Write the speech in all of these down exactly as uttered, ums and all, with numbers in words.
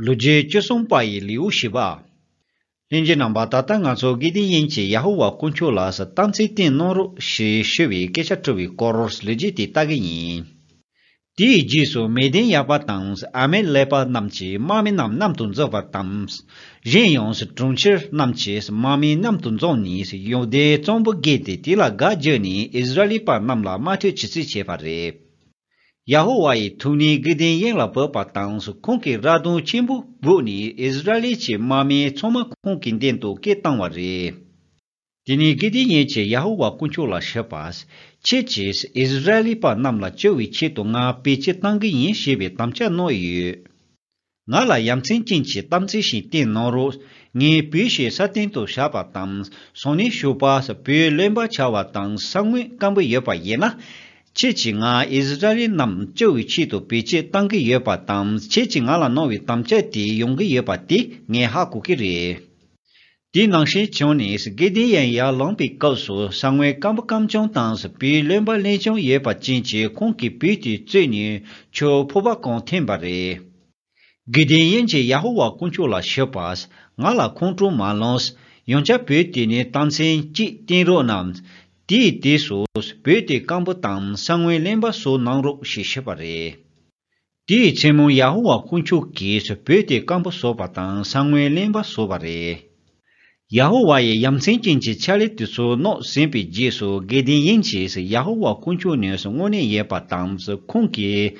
ལོ་རྒྱུས་བཅུ་གསུམ་པ་ཡི་ལེའུ་བཞི་པ། ལྷན་རྒྱས་རྣམ་པ། ད་ལྟ་ང་ཚོ་དགེ་ལྡན་ཡིན་གྱི་ཡ་ཧོ་ཝཱ་དཀོན་མཆོག་ལ་རྟགས་མཚན་བསྟན་གནང་རོགས་ཞེས་ཞུ་བའི་སྐད་ཆ་དྲི་བའི་སྐོར་ལོ་རྒྱུས་དེ་ལྟ་གི་ཡིན། དེའི་རྗེས་སུ་མི་ལྡན་ཡ་པ་དང་ཨ་མེ་ལེ་པ་རྣམས་ཀྱིས་དམག་མི་རྣམས་མཉམ་དུ་འཛོམས་པ་དང་། གཞན་ཡང་གྲོང་ཁྱེར་རྣམས་ཀྱི་དམག་མི་མཉམ་དུ་འཛོམས་ནས་ཡུ་དཱའི་གཙང་པོ་བརྒལ་ཏེ་དེ་ལ་སྒར་བརྒྱུད་ནས་ཨིསི་ར་ཨེལ་པ་རྣམས་ལ་དམག་འཁྲུག་བྱེད་རྩིས་བྱས་པ་རེད། ཡ་ཧོ་ཝཱ་ཡི་ཐུགས་ཉིད་དགེ་ལྡན་ཡིན་ལ་བབས་པ་དང་ཁོང་གིས་ར་གདོང་ཆེན་པོ་སྦུབས་ནས་ཨིསི་ར་ཨེལ་གྱི་དམག་མི་ཚང་མ་ཁོང་གི་མདུན་དུ་སྐད་བཏང་བ་རེད། དེ་ནས་དགེ་ལྡན་ཡིན་གྱི་ཡ་ཧོ་ཝཱ་དཀོན་མཆོག་ལ་ཞུས་པ། ཁྱེད་ཀྱིས་ཨིསི་ར་ཨེལ་པ་རྣམས་ལ་སྐྱོབ་པའི་ཆེད་དུ་ང་བེད་སྤྱོད་གཏང་གི་ཡིན་ཞེས་པའི་དམ་བཅའ་གནང་ཡོད། ང་ལ་ཡ་མཚན་ཅན་གྱི་རྟགས་མཚན་ཞིག་བསྟན་གནང་རོགས། ངའི་བུ་ཞིག་ས་སྟེང་དུ་བཞག་པ་དང་། སང་ཉིན་ཞོགས་པ་བོད་རློན་པ་ཆགས་པ་དང་ས་ངོས་སྐམ་པོ་ཡོད་པ་ཡིན་ན། ཁྱེད་ཀྱིས་ང་ཨིསི་ར་ཨེལ་རྣམས་སྐྱོབ་པའི་ཆེད་དུ་བེད་སྤྱོད་གཏང་གི་ཡོད་པ་དང་། ཁྱེད་ཀྱིས་ང་ལ་གནང་བའི་དམ་བཅའ་དེ་ཡོང་གི་ཡོད་པ་དེ་ངས་ཧ་གོ་གི་རེད། དེ་ནང་བཞིན་བྱུང་ནས་དགེ་ལྡན་ཡིན་ཡར་ལངས་པའི་སྐབས་སུ་ས་ངོས་སྐམ་པོ་སྐམ་ཅུང་དང་བོད་རློན་པ་རློན་ཅུང་ཡོད་པ་ཅན་གྱི་ཁོང་གི་བུ་དེ་གཙོས་ནས་ཆུ་ཕོར་པ་གང་འཐེན་པ་རེད། དགེ་ལྡན་ཡིན་གྱི་ཡ་ཧོ་ཝཱ་དཀོན་མཆོག་ལ་ཞུས་པ། ང་ལ་ཁོང་ཁྲོ་མ་ལངས། ཡང་བསྐྱར་བོད་དེ་ནས་རྟགས་མཚན་གཅིག་བསྟན་རོགས་གནང་། དེའི་དུས་སུ་བོད་དེ་སྐམ་པོ་དང་ས་ངོས་རློན་པ་བཟོ་གནང་རོགས་ཞེས་ཞུས་པ་རེད། དེའི་མཚན་མོ་ཡ་ཧོ་ཝཱ་དཀོན་མཆོག་གིས་བོད་དེ་སྐམ་པོ་བཟོས་པ་དང་ས་ངོས་རློན་པ་བཟོས་པ་རེད། ཡ་ཧོ་ཝཱ་ཡི་ཡ་མཚན་ཅན་གྱི་ཕྱག་ལས་དེ་ཚོ་གནང་ཟིན་པའི་རྗེས་སུ་དགེ་ལྡན་ཡིན་གྱིས་ཡ་ཧོ་ཝཱ་དཀོན་མཆོག་ནས་དངོས་གནས་ཡོད་པ་དང་ཁོང་གིས་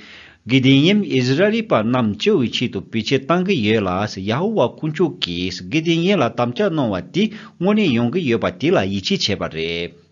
དགེ་ལྡན་ཡིན་ཨིསི་ར་ཨེལ་པ་རྣམས་སྐྱོབ་པའི་ཆེད་དུ་བེད་སྤྱོད་གཏང་གི་ཡོད་ལ། ཡ་ཧོ་ཝཱ་དཀོན་མཆོག་གིས་དགེ་ལྡན་ཡིན་ལ་དམ་བཅའ་གནང་བ་དེ་དངོས་གནས་ཡོང་གི་ཡོད་པ་དེ་ལ་ཡིད་ཆེས་བྱས་པ་རེད།